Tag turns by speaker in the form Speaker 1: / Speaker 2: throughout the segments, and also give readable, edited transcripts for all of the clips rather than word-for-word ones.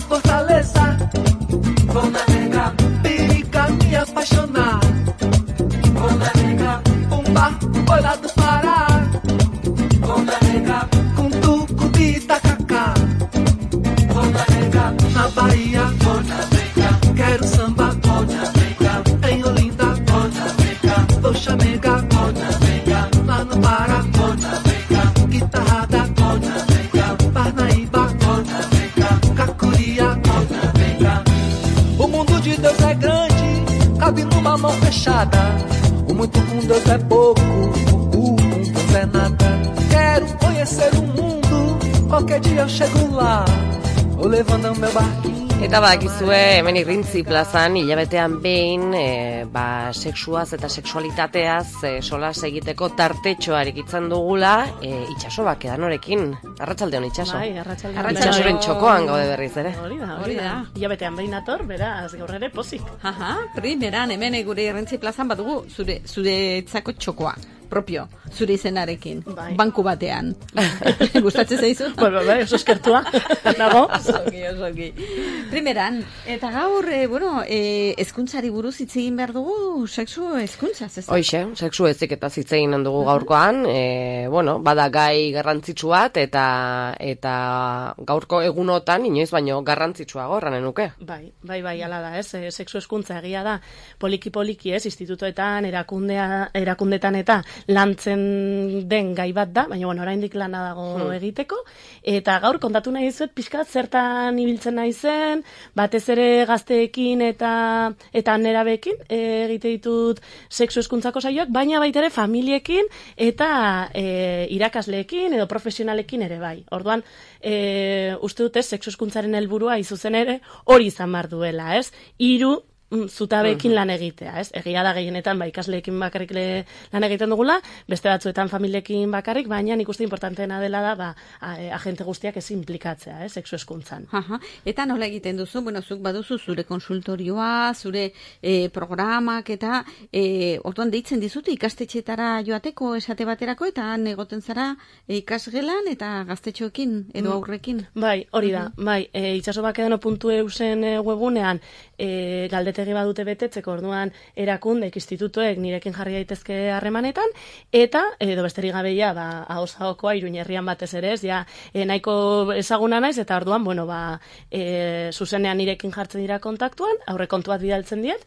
Speaker 1: fortaleza. Vou navegar, perica me apaixonar. Vou navegar, Pumba, oi lá do Pará. Vou navegar, com tucupi e tacacá. Vou navegar, na Bahia. Vou navegar, quero samba. Vou navegar, em Olinda. Vou navegar, vou chamegar. Vou navegar, lá no Pará. Vou navegar, guitarrada. Vou navegar, Parnaíba. Vou navegar, Cacuria. Vou navegar. O mundo de Deus é grande, cabe numa mão fechada. O muito com Deus é pouco, o com Deus é nada. Quero conhecer o mundo, qualquer dia eu chego lá. Vou levando meu barquinho.
Speaker 2: Eta bakizue, hemen Irrintzi plazan, hilabetean behin, sexuaz eta sexualitateaz solas egiteko tartetxoa erikitzen dugula, itxaso bakedan horekin. Arratsaldeon itxaso.
Speaker 3: Bai, arratsaldeon.
Speaker 2: Arratsaldearen txokoan gaude berriz ere.
Speaker 3: Hori da. Hilabetean behin ator, beraz, gaur ere pozik.
Speaker 4: Primeran, hemen gure Irrintzi plazan badugu zuretzako txokoa. Propio, zure izenarekin, banku batean. Gustatzen zaizu?
Speaker 3: Bai, oso eskertua. Nago?
Speaker 4: Osoki. Primeran, eta gaur, hezkuntzari buruz hitz egin behar dugu, sexu hezkuntzaz, ez da?
Speaker 2: Hoixe, sexu heziketaz hitz egin dugu gaurkoan, bada gai garrantzitsu bat, eta gaurko egunotan, inoiz baino garrantzitsuago erranen nuke.
Speaker 3: Bai, ala da, ez? Sexu hezkuntza egia da, poliki, ez? Institutoetan, erakundetan eta lantzen den gai bat da, baina oraindik lana dago egiteko, eta gaur kontatu nahi dizuet pixkat zertan ibiltzen naizen, batez ere gazteekin eta nerabeekin egite ditut sexu hezkuntzako saioak, baina baita ere familiekin eta irakasleekin edo profesionalekin ere bai. Orduan, uste dute sexu hezkuntzaren helburua izuzen ere hori izan behar duela, ez? 3 zutabeekin lan egitea, ez? Egia da gehienetan ikasleekin bakarrik lan egiten dugula, beste batzuetan familiekin bakarrik, baina nik uste importanteena dela da agente guztiak ez implikatzea, sexu hezkuntzan.
Speaker 4: Eta nola egiten duzu? Bueno, zuk baduzu zure konsultorioa, zure programak eta orduan deitzen dizute ikastetxeetara joateko esate baterako eta han egoten zara ikasgelan eta gaztetxoekin edo aurrekin.
Speaker 3: Bai, hori da. Bai, itxasobakedano.eusen webgunean galdetegi badute betetzeko, orduan erakundeek, institutuek nirekin jarri daitezke harremanetan, eta edo besterik gabeia, ahosagokoa Iruña herrian batez ere, nahiko ezaguna naiz, eta orduan, zuzenean nirekin jartzen dira kontaktuan, aurrekontu bat bidaltzen diet,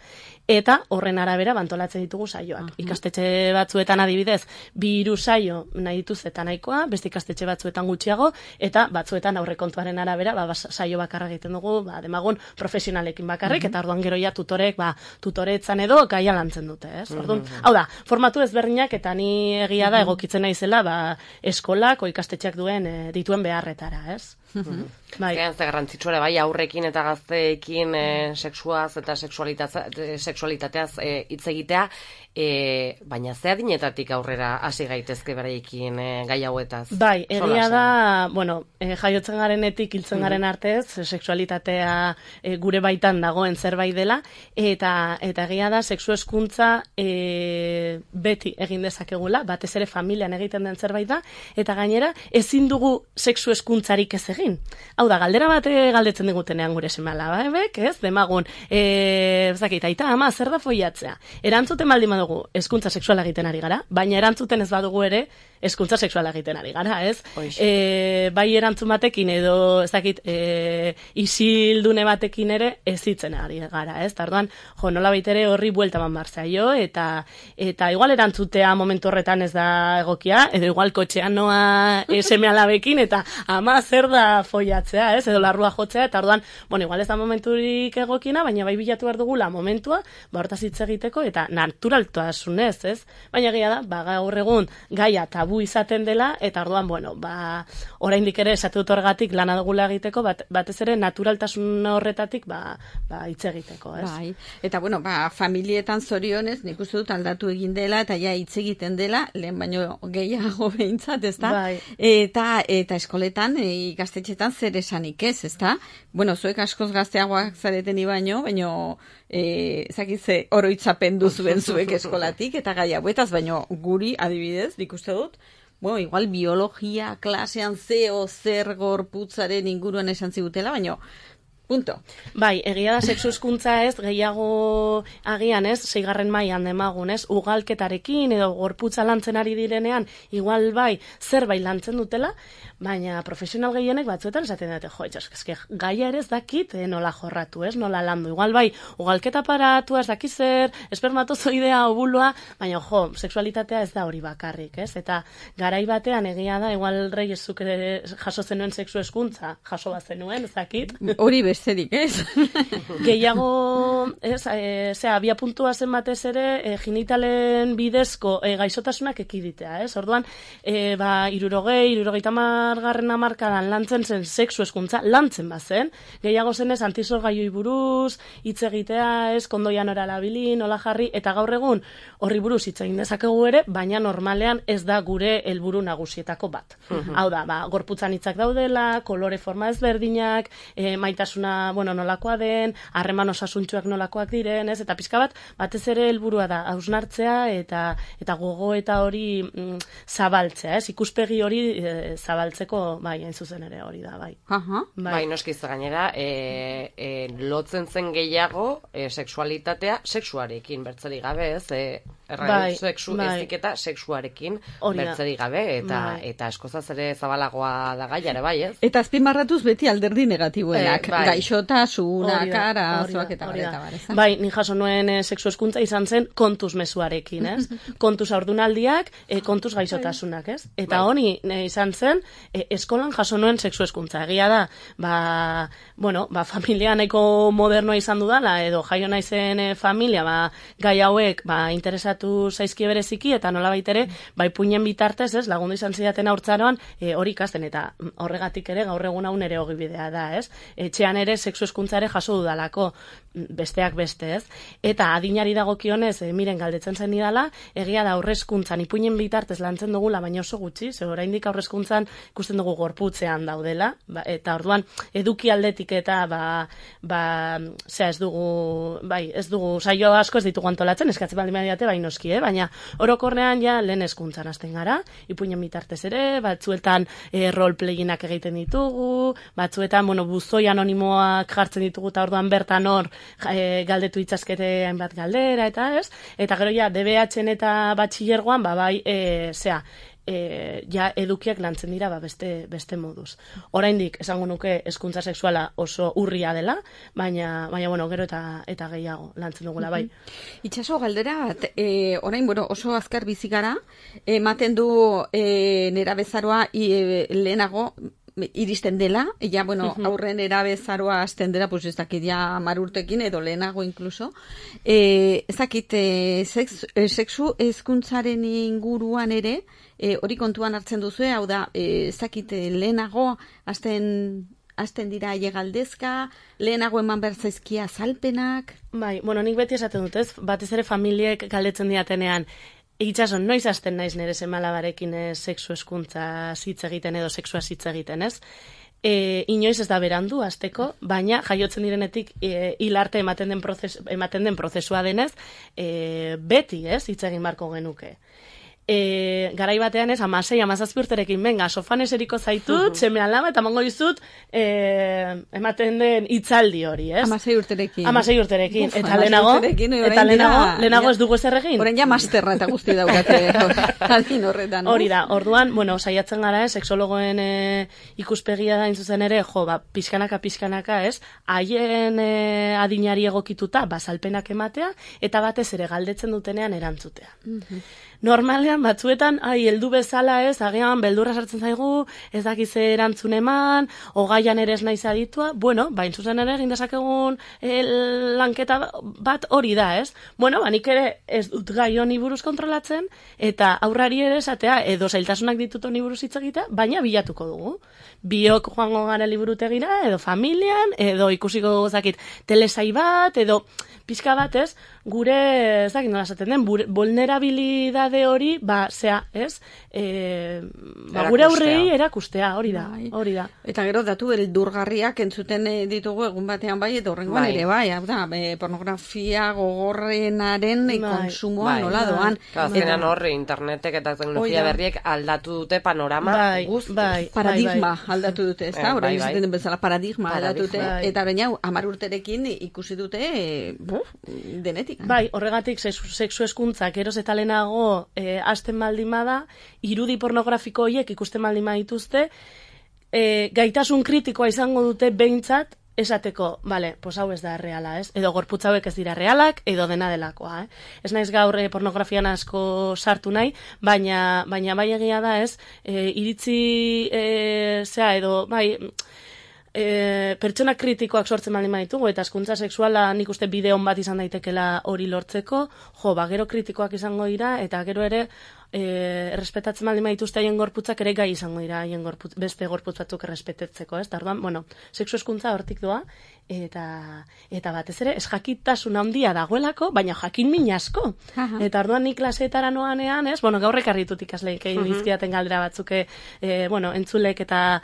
Speaker 3: eta horren arabera bantolatzen ditugu saioak. Ikastetxe batzuetan adibidez, 2 saio nahi dituz eta nahikoa, beste ikastetxe batzuetan gutxiago, eta batzuetan aurrekontuaren arabera saio bakarra egiten dugu, demagun profesionalekin bakarrik, eta orduan gero ja tutoretzan edo gaia lantzen dute, ez? Orduan, hau da, formatu ezberdinak eta ni egia da egokitzen naizela eskolak o ikastetxeak dituen beharretara, ez?
Speaker 2: Ze garrantzitsua ere bai aurrekin eta gazteekin sexuaz eta sexualitateaz hitz egitea, baina ze adinetatik aurrera hasi gaitezke beraiekin gai hauetaz?
Speaker 3: Bai, egia da, jaiotzen garenetik hiltzen garen artez, sexualitatea gure baitan dagoen zerbait dela, eta egia da, sexu hezkuntza beti egin dezakegula, batez ere familian egiten den zerbait da, eta gainera ezin dugu sexu hezkuntzarik ez egin. Hau da, galdera bat galdetzen digutenean gure seme-alabek, ez? Demagun, aita, ama, zer da foiatzea? Erantzuten baldin badugu, hezkuntza sexuala egiten ari gara, baina erantzuten ez badugu ere, hezkuntza sexuala egiten ari gara, ez? Bai erantzun batekin edo, isildune batekin ere ez hitzen ari gara, ez? Tarduan, nola baitere horri buelta manbartzaio, eta igual erantzutea momentu horretan ez da egokia, edo igual kotxean noa seme-alabekin, eta ama, zer da foiatzea, ez? Edo larrua jotzea, eta orduan, igual ez da momenturik egokina, baina bai bilatu behar dugula momentua, hortaz hitz egiteko, eta naturaltasunez, ez? Baina egia da, gaur egun gaia tabu izaten dela, eta orduan, oraindik ere esatu dut horregatik lana dugula egiteko, batez ere naturaltasun horretatik hitz egiteko, ez?
Speaker 4: Bai, eta familietan zorionez, nik uste dut aldatu egin dela, eta ja hitz egiten dela, lehen baino gehiago behintzat, ez da?
Speaker 3: Bai.
Speaker 4: Eta eskoletan, ikastetxetan zer esanik ez, ez da? Zuek askoz gazteagoak zareten baino zakize oroitzapen duzuen zuek eskolatik, eta gai hauetaz, baino guri adibidez, nik uste dut, igual biologia klasean zer gorputzaren inguruan esan zigutela, baino Punto.
Speaker 3: Bai, egia da sexu hezkuntza ez, gehiago agian ez, 6. mailan demagun ez, ugalketarekin edo gorputza lantzen ari direnean, igual bai, zerbait lantzen dutela, baina profesional gehienek batzuetan esaten dute, jo, eske gaia ere ez dakit nola jorratu ez, nola landu. Igual bai, ugalketa aparatua ez dakiz zer, espermatozoidea, ovuloa, baina jo, sexualitatea ez da hori bakarrik, ez? Eta garai batean egia da, igual Reyesuk jaso zenuen sexu hezkuntza, jaso bazenuen, ez dakit.
Speaker 4: Hori besterik, ez?
Speaker 3: Gehiago, ez, abia puntua zen batez ere, genitalen bidezko gaixotasunak ekiditea, ez? Orduan, 60-70 hamarkadan lantzen zen sexu hezkuntza, lantzen bazen, gehiago zenez antizorgailuei buruz, hitz egitea, ez, kondoian oralabili, nola jarri, eta gaur egun horri buruz hitz egin dezakegu ere, baina normalean ez da gure helburu nagusietako bat. Hau da, gorputzan hitzak daudela, kolore forma ezberdinak, maitasuna, nolakoa den, harreman osasuntsuak nolakoak diren, ez? Eta pixka batez ere helburua da, hausnartzea eta gogo eta hori zabaltzea, ez? Ikuspegi hori zabaltzeko, bai, hain zuzen ere hori da, bai.
Speaker 2: Bai, noskiz gainera, lotzen zen gehiago sexualitatea sexuarekin bertzerik gabe, ez? Sexu eziketa sexuarekin bertzerik gabe, eta eskozaz ere zabalagoa da gaiare, bai, ez?
Speaker 4: Eta azpimarratuz beti alderdi negatiboenak, gaixotasunak, arazoak eta bar.
Speaker 3: Bai, ni jaso nuen sexu hezkuntza izan zen kontuz mezuarekin, ez? Kontuz haurdunaldiak, kontuz gaixotasunak, ez? Eta honi izan zen, eskolan jaso nuen sexu hezkuntza. Egia da, familia nahiko modernoa izan dudala, edo jaio naizen familia, gai hauek, interesatu zaizkie bereziki, eta nola baitere, puinen bitartez, ez, lagundu izan zidaten haurtzaroan, hori ikasten, eta horregatik ere gaur egun hau nere ogibidea da, ez? Etxean ere sexu hezkuntza ere jaso dudalako, besteak beste, ez? Eta adinari dagokionez, miren galdetzen zen idala, egia da aurrezkuntzan, ipuinen bitartez lantzen dugula, baina oso gutxi, ze oraindik aurrezkuntzan ikusten dugu gorputzean daudela, eta orduan eduki aldetik eta ez dugu saio asko ez ditugu antolatzen, eskatzen baldin badiate, bai noski, baina orokorrean ja lehen hezkuntzan hasten gara, ipuinen bitartez ere, batzuetan roleplayinak egiten ditugu, batzuetan, buzoi anonimoak jartzen ditugu, eta orduan bertan hor galdetu itzazkete hainbat galdera, eta ez, eta gero ja, DBH-en eta batxillergoan, ja edukiak lantzen dira beste moduz. Oraindik esango nuke hezkuntza sexuala oso urria dela, baina gero eta gehiago lantzen dugula, bai.
Speaker 4: Itxaso, galdera bat, orain oso azkar bizi gara, ematen du nerabezaroa lehenago iristen dela, aurren erabezaroa hasten dela, ez dakit ja 10 urtekin edo lehenago inkluso, ez dakit sexu hezkuntzaren inguruan ere, hori kontuan hartzen duzu, hau da, ez dakit lehenago hasten dira galdezka, lehenago eman behar zaizkia azalpenak.
Speaker 3: Bai, nik beti esaten dut, ez, batez ere familiek galdetzen diatenean, Itxaso, noiz hasten naiz nire semalabarekin sexu hezkuntza hitz egiten edo sexua hitz egiten, ez? Inoiz ez da berandu hasteko, baina jaiotzen direnetik hilarte ematen den prozesua denez, beti, ez, hitz egin barko genuke. Garai batean ez, 16-17 urterekin, benga, sofan eseriko zaitut, seme alaba, eta mango dizut, ematen den hitzaldi hori, ez?
Speaker 4: 16 urterekin.
Speaker 3: 16 urterekin. Eta lehenago ez dugu ezer egin.
Speaker 4: Orain ja masterra eta guzti daukate adin horretan.
Speaker 3: Hori da, orduan, saiatzen gara, seksologoen ikuspegia da zuzen ere, pixkanaka, ez? Haien adinari egokituta, bazalpenak ematea, eta batez ere galdetzen dutenean erantzutea. Normalean, batzuetan, heldu bezala ez, agian beldurra sartzen zaigu, ez dakiz erantzun eman, ogaian ere ez naiz aditua, bain zuzen ere egin dezakegun lanketa bat hori da, ez? Nik ere ez dut gai honi buruz kontrolatzen, eta aurrari ere esatea, edo zailtasunak ditut honi buruz hitz egitea, baina bilatuko dugu. Biok joango gara liburutegira, edo familian, edo ikusiko gozakit telesai bat, edo pixka bat, ez? gure, ez dakit nola esaten den, vulnerabilidade hori, ez? Gure aurrei erakustea, hori da.
Speaker 4: Eta gero datu beldurgarriak entzuten ditugu egun batean bai, eta horrengoan ere bai, hau da, pornografia gogorrenaren konsumoa nola doan.
Speaker 2: Azkenean horri internetek eta teknologia berriek aldatu dute panorama guzti.
Speaker 4: Paradigma aldatu dute, ez da? Horrein izaten den bezala paradigma aldatu dute, eta horrein hau, 10 urterekin ikusi dute denetik.
Speaker 3: Bai, horregatik sexu hezkuntzak geroz eta lehenago hasten baldin bada, irudi pornografiko horiek ikusten baldin badituzte, gaitasun kritikoa izango dute behintzat esateko, pues hau ez da reala, ez? Edo gorputz hauek ez dira realak, edo dena delakoa, Ez naiz gaur pornografian asko sartu nahi, baina bai egia da, ez? Iritzi, edo, bai, pertsona kritikoak sortzen baldin baditugu, eta hezkuntza sexuala nik uste bide on bat izan daitekela hori lortzeko, gero kritikoak izango dira, eta gero ere errespetatzen baldin badituzte haien gorputzak ere gai izango dira haien beste gorputz batzuk errespetatzeko, ez? Orduan, sexu hezkuntza hortik doa, eta batez ere, ez jakitasun handia dagoelako, baina jakin min asko. Eta orduan nik klaseetara noanean, ez? Gaur ekarritut ikasleik egin dizkidaten galdera batzuk, entzulek eta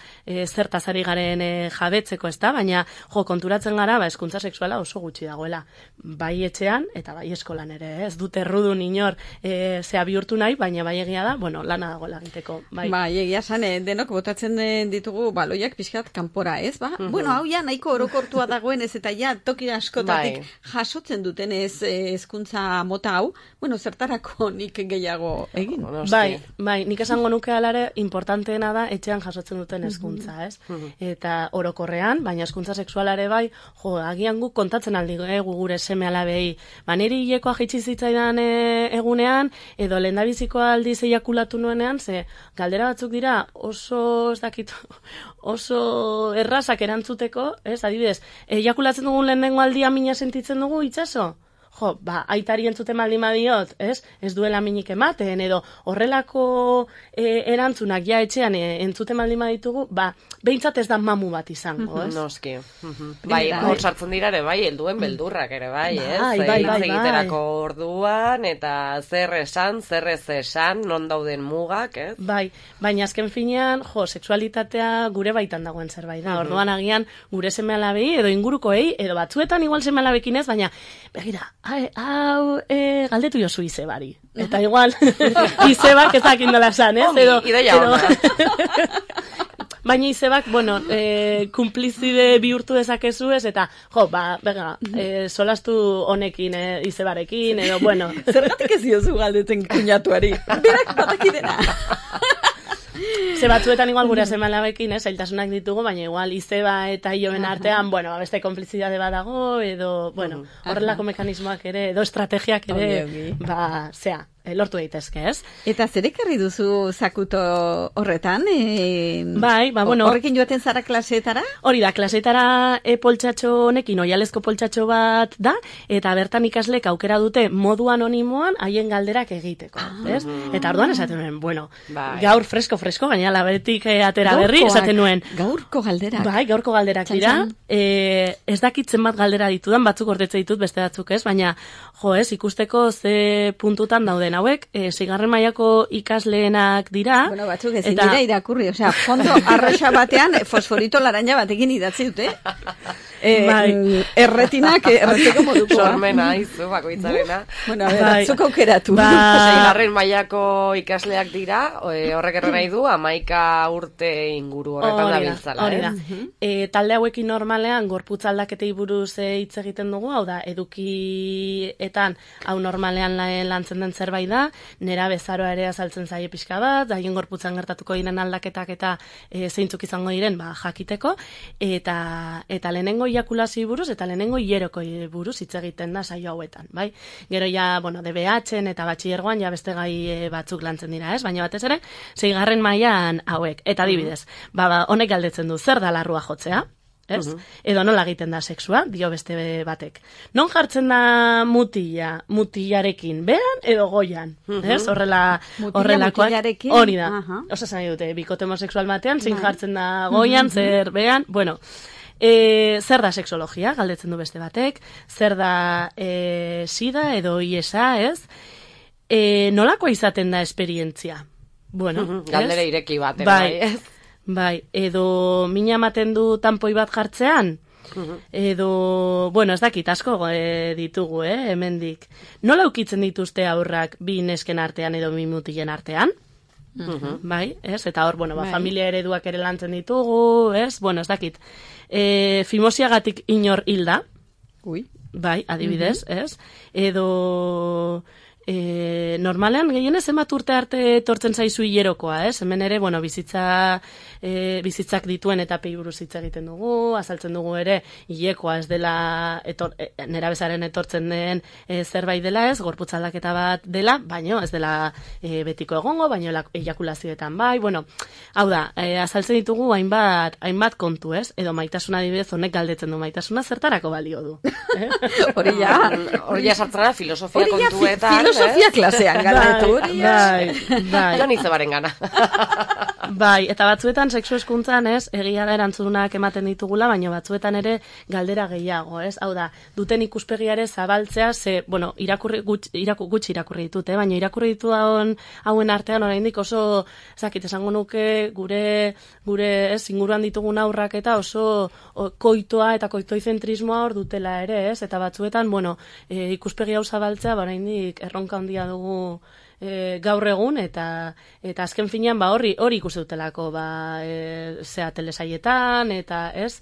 Speaker 3: zertaz ari garen jabetzeko, ez da? Baina, konturatzen gara, hezkuntza sexuala oso gutxi dagoela. Bai etxean, eta bai eskolan ere, ez? Dute errudun inor zea bihurtu nahi, baina bai egia da, lana dagoela egiteko. Bai,
Speaker 4: egia zan, denok botatzen ditugu baloiak pixkat kanpora, ez? Hau ja nahiko orokortua dagoen ez, eta ja toki askotatik jasotzen duten ez hezkuntza mota hau, zertarako nik gehiago egin.
Speaker 3: Bai, nik esango nuke alare importanteena da etxean jasotzen duten hezkuntza, ez? Eta orokorrean, baina hezkuntza sexualare bai, agian guk kontatzen aldi gure seme alabei, niri hilekoa jaitsi zitzaidan egunean, edo lehendabiziko aldiz eiakulatu nuenean, ze galdera batzuk dira oso, ez dakit, oso errazak erantzuteko, ez, adibidez, eiakulatzen dugun lehenengo aldia mina sentitzen dugu itxaso? Aitari entzuten baldin badiot, ez duela minik ematen, edo horrelako erantzunak ja etxean entzuten baldin baditugu, behintzat ez da mamu bat izango, ez?
Speaker 2: Noski. Bai, hor sartzen dira ere, bai, helduen beldurrak ere, bai, ez? Bai, egiterako orduan, eta zer esan, zer ez esan, non dauden mugak, ez?
Speaker 3: Bai, baina azken finean, sexualitatea gure baitan dagoen zerbait da. Orduan agian gure seme alabei, edo ingurukoei, edo batzuetan igual seme alabekin ez, baina, begira, hau, galdetu jozu izebari. Eta igual, izebak ez dakin dola esan, ez?
Speaker 2: Ideia hona.
Speaker 3: Baina izebak, kumplizide bihurtu dezakezu ez, eta, solastu honekin, izebarekin, edo,
Speaker 4: Zergatik ez diozu galdetzen kuñatuari? Berak batakidena.
Speaker 3: Ze batzuetan igual gure semalabekin, zailtasunak ditugu, baina igual izeba eta Ioben artean, beste konplizidade badago, edo, horrelako mekanismoak ere, edo estrategiak ere, lortu daitezke, ez?
Speaker 4: Eta zer ekarri duzu zakuto horretan?
Speaker 3: Bai,
Speaker 4: horrekin joaten zara klaseetara?
Speaker 3: Hori da, klaseetara poltsatxo honekin, oialezko poltsatxo bat da, eta bertan ikaslek aukera dute modu anonimoan haien galderak egiteko, ez? Eta orduan esaten nuen, gaur fresko, gaina labetik atera berri, esaten nuen.
Speaker 4: Gaurko galderak?
Speaker 3: Bai, gaurko galderak dira. Ez dakitzen bat galdera ditudan, batzuk ordetze ditut, beste batzuk ez, baina, ikusteko ze puntutan dauden hauek, 6. mailako ikasleenak dira.
Speaker 4: Batzuk ezin dira irakurri, fondo arroxa batean fosforito laranja batekin idatzi dute. Erretinak erreteko moduko.
Speaker 2: Sormena, izu, bakoitzarena.
Speaker 4: Batzuk aukeratu.
Speaker 2: 6. mailako ikasleak dira, horrek erre nahi du, 11 urte inguru horretan dabiltzala.
Speaker 3: Hori da. Talde hauekin normalean, gorputz aldaketei buruz hitz egiten dugu, hau da, edukietan, hau normalean lantzen den zerbait da, nera bezaroa ere azaltzen zaie pixka bat, haien gorputzan gertatuko diren aldaketak eta zeintzuk izango diren jakiteko, eta lehenengo iakulazio buruz eta lehenengo hieroko buruz hitz egiten da saio hauetan, bai? Gero ja, DBH-en eta batxilergoan ja beste gai batzuk lantzen dira, ez? Baina batez ere, 6. mailan hauek. Eta adibidez, honek galdetzen du, zer da larrua jotzea? Ez? Edo nola egiten da sexua, dio beste batek. Non jartzen da mutilarekin, beran edo goian? Ez? Horrelakoak. Hori da. Osa zan dute, bikote homosexual batean, zein jartzen da goian, zer beran, Zer da sexologia, galdetzen du beste batek, zer da sida edo IESA, ez? Nolakoa izaten da esperientzia? Bueno,
Speaker 2: galdera ireki bat,
Speaker 3: bai, bai, edo mina ematen du tanpoi bat jartzean, edo, bueno, ez dakit asko ditugu, hemendik. Nola ukitzen dituzte aurrak bi nesken artean edo bi mutilen artean? Bai, ez? Eta hor, bueno, familia ereduak ere lantzen ditugu, ez? Bueno, ez dakit. Fimosiagatik inor hilda. Bai, adibidez, ez? Edo... normalean gehienez zenbat urte arte etortzen zaizu hilerokoa, ez? Hemen ere, bueno, bizitzak dituen etapei buruz hitz egiten dugu, azaltzen dugu ere hilekoa ez dela nerabezaren etortzen den zerbait dela, ez? Gorputz aldaketa bat dela, baino ez dela betiko egongo, baino ejakulazioetan bai, bueno, hau da, azaltzen ditugu hainbat kontu, ez? Edo maitasuna adibidez honek galdetzen du, maitasuna zertarako balio du.
Speaker 4: Hori ja
Speaker 2: sartzara filosofia kontuetan.
Speaker 4: Filosofia klasean galdetu.
Speaker 3: Bai.
Speaker 2: Jon izebaren gana.
Speaker 3: Bai, eta batzuetan sexu hezkuntzan, ez, egia da erantzunak ematen ditugula, baina batzuetan ere galdera gehiago, ez? Hau da, duten ikuspegiare zabaltzea, bueno, gutxi irakurri ditut, baina irakurri ditu hauen artean oraindik oso, ezakit, esango nuke gure ez, inguruan ditugun aurrak eta oso koitoa eta koitoizentrismoa hor dutela ere, ez? Eta batzuetan, bueno, ikuspegi hau zabaltzea, oraindik erronka handia dugu gaur egun, eta azken finean hori ikusi dutelako telesaietan, eta ez,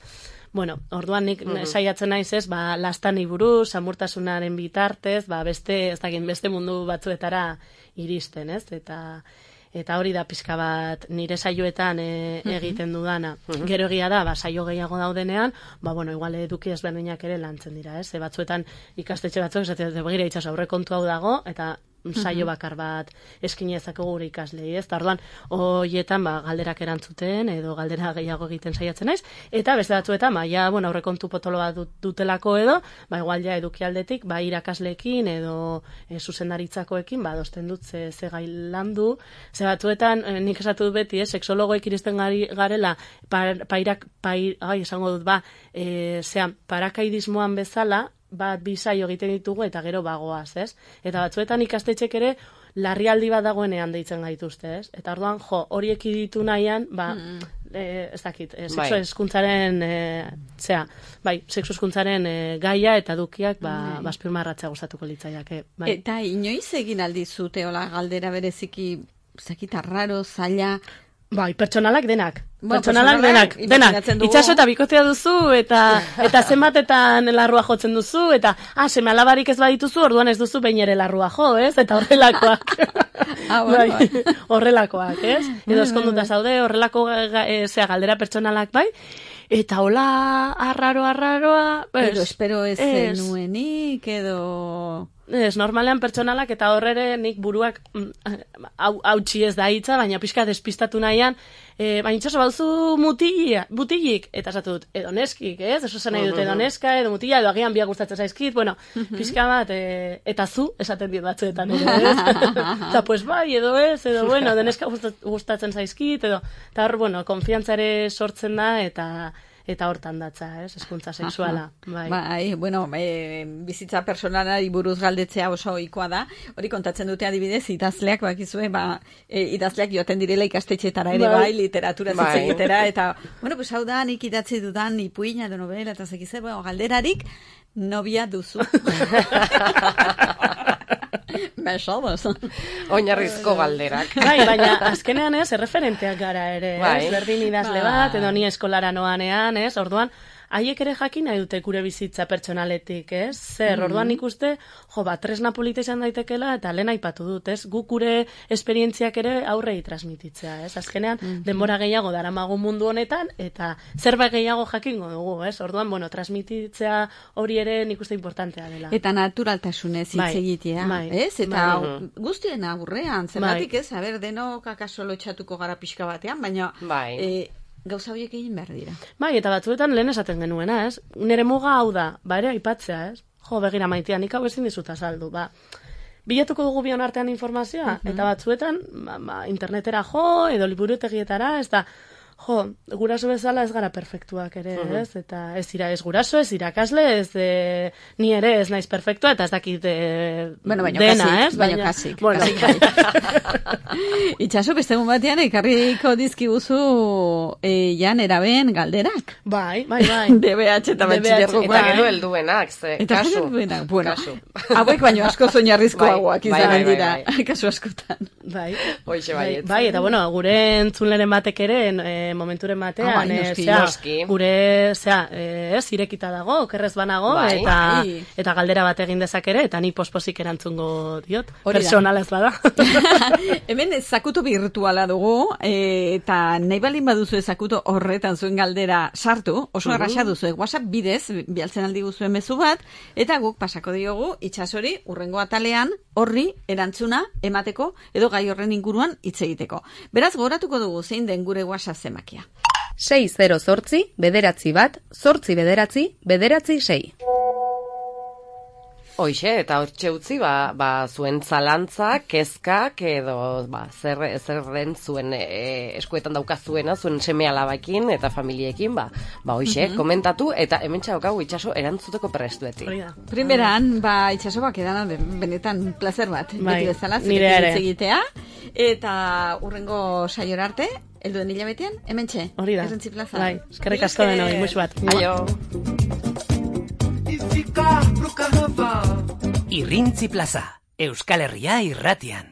Speaker 3: bueno, orduan nik saiatzen naiz ez, lastani buruz, samurtasunaren bitartez, beste mundu batzuetara iristen, ez, eta hori da pixka bat nire saioetan egiten dudana. Gero egia da, saio gehiago daudenean, bueno, igual eduki ezberdinak ere lantzen dira, ez? Batzuetan ikastetxe batzuk, esatzen begira itxas aurrekontu hau dago, eta saio bakar bat eskine ezakegu gure ikaslei, ez? Orduan, hoietan galderak erantzuten edo galdera gehiago egiten saiatzen naiz, eta beste batzuetan, bueno, aurrekontu potolo bat dutelako edo, igual ja edukialdetik, irakasleekin edo zuzendaritzakoekin, adosten dut ze gai landu, ze batzuetan, nik esatu dut beti, sexologoek iristen garela, esango dut, parakaidismoan bezala, bi saio egiten ditugu eta gero bagoaz, ez? Eta batzuetan ikastetxek ere larrialdi bat dagoenean deitzen gaituzte, ez? Eta orduan, horiek ditu nahian, ez dakit, sexu hezkuntzaren sexu hezkuntzaren gaia eta edukiak azpimarratzea gustatuko litzaiake.
Speaker 4: Eta inoiz egin aldizute hola galdera bereziki, zakit arraro, zaila...
Speaker 3: Pertsonalak denak. Denak. Itxaso eta bikotea duzu, eta zenbatetan larrua jotzen duzu, eta seme alabarik ez badituzu, orduan ez duzu behin ere larrua jo, ez? Eta horrelakoak. Horrelakoak, ez? Edo eskonduta zaude, horrelako galdera pertsonalak bai. Eta hola, arraroa...
Speaker 4: Edo espero ez zenuenik, edo...
Speaker 3: Ez, normalean pertsonalak eta horrere nik buruak hautsi ez da hitza, baina pixka despistatu nahian, baina itxaso bauzu mutilik, eta esatu dut, edo neskik, ez? Eso zen nahi dut, edo neska, edo mutila, edo agian biak gustatzen zaizkit, bueno, pixka bat, eta zu, esaten dit batzuetan, edo ez? Eta pues edo ez, edo bueno, edo neska gustatzen zaizkit, edo, eta hor, bueno, konfiantzare sortzen da, eta hortan datza, ez, hezkuntza sexuala.
Speaker 4: Bueno, bizitza personalari buruz galdetzea oso ohikoa da. Hori kontatzen dute adibidez, idazleak bakizue, idazleak joaten direla ikastetxeetara ere literatura egitera, eta, bueno, pues hau da, nik idatzi dudan ipuina edo novela, eta zekize, galderarik, nobia duzu. Mesodos.
Speaker 2: Oinarrizko galderak.
Speaker 3: Baina azkenean ez, erreferenteak gara ere, ez? Berdin idazle bat, edo ni eskolara noanean, ez? Orduan, haiek ere jakin nahi dute gure bizitza pertsonaletik, ez? Zer, orduan ikuste, tresna polita izan daitekela, eta lehen aipatu dut, ez? Guk gure esperientziak ere aurrei transmititzea, ez? Azkenean, denbora gehiago daramagu mundu honetan, eta zerbait gehiago jakingo dugu, ez? Orduan, bueno, transmititzea hori ere nik uste importantea dela.
Speaker 4: Eta naturaltasunez hitz egitea, ez? Eta guztien aurrean, zergatik ez? Denok akaso lotxatuko gara pixka batean, baina... Gauza horiek egin behar dira.
Speaker 3: Eta batzuetan lehen esaten genuena, ez? Nere muga hau da, ere aipatzea, ez? Begira maitea, nik hau ezin dizut azaldu, bilatuko dugu bion artean informazioa, eta batzuetan, internetera edo liburutegietara, ez da, guraso bezala ez gara perfektuak ere, ez? Eta ez guraso, ez irakasle, ez ni ere ez naiz perfektua, eta ez dakit dena, ez?
Speaker 4: Baina kasik.
Speaker 3: Bueno,
Speaker 4: Itxaso, beste egun batean, ekarriko dizkiguzu jan eraben galderak.
Speaker 3: Bai.
Speaker 4: DBH eta batxilergoak.
Speaker 2: Eta gero helduenak, kasu.
Speaker 4: Bueno, hauek baino asko zoinarrizkoagoak izan dira, kasu askotan.
Speaker 3: Bai.
Speaker 2: Hoixe baietz.
Speaker 3: Bai, eta bueno, gure entzunleren batek ere, momenturen batean,
Speaker 2: noski.
Speaker 3: gure, irekita dago, okerrez banago, eta galdera bat egin dezak ere, eta ni posposik erantzungo diot. Personalez bada.
Speaker 4: Hemen zakuto virtuala dugu, eta nahi balin baduzu zakuto horretan zuen galdera sartu, oso erraxa duzu, WhatsApp bidez, bialtzen aldi guzuen mezu bat, eta guk pasako diogu Itsasori urrengo atalean horri erantzuna emateko, edo gai horren inguruan hitz egiteko. Beraz, gogoratuko dugu zein den gure WhatsApp zemakia.
Speaker 5: 608 bederatzi bat, 8 bederatzi, bederatzi 6.
Speaker 2: Hoixe, eta hortxe utzi, zuen zalantza, kezkak, edo, zer den zuen eskuetan daukazuena, zuen seme alabakin eta familiekin, hoixe, komentatu, eta hemen txaukagu Itxaso erantzuteko prestueti.
Speaker 4: Primeran, Itxaso edana benetan placer bat, beti bezala,
Speaker 3: nire ere.
Speaker 4: Egitea, eta urrengo saiora arte, helduen hilabetean, hemen txe.
Speaker 3: Hori da.
Speaker 4: Errentzi plaza.
Speaker 3: Bai, eskerrik asko denoi, musu bat.
Speaker 2: Aio.
Speaker 1: Ficar pro carnaval.
Speaker 6: Irrintzi plaza, Euskal Herria irratian.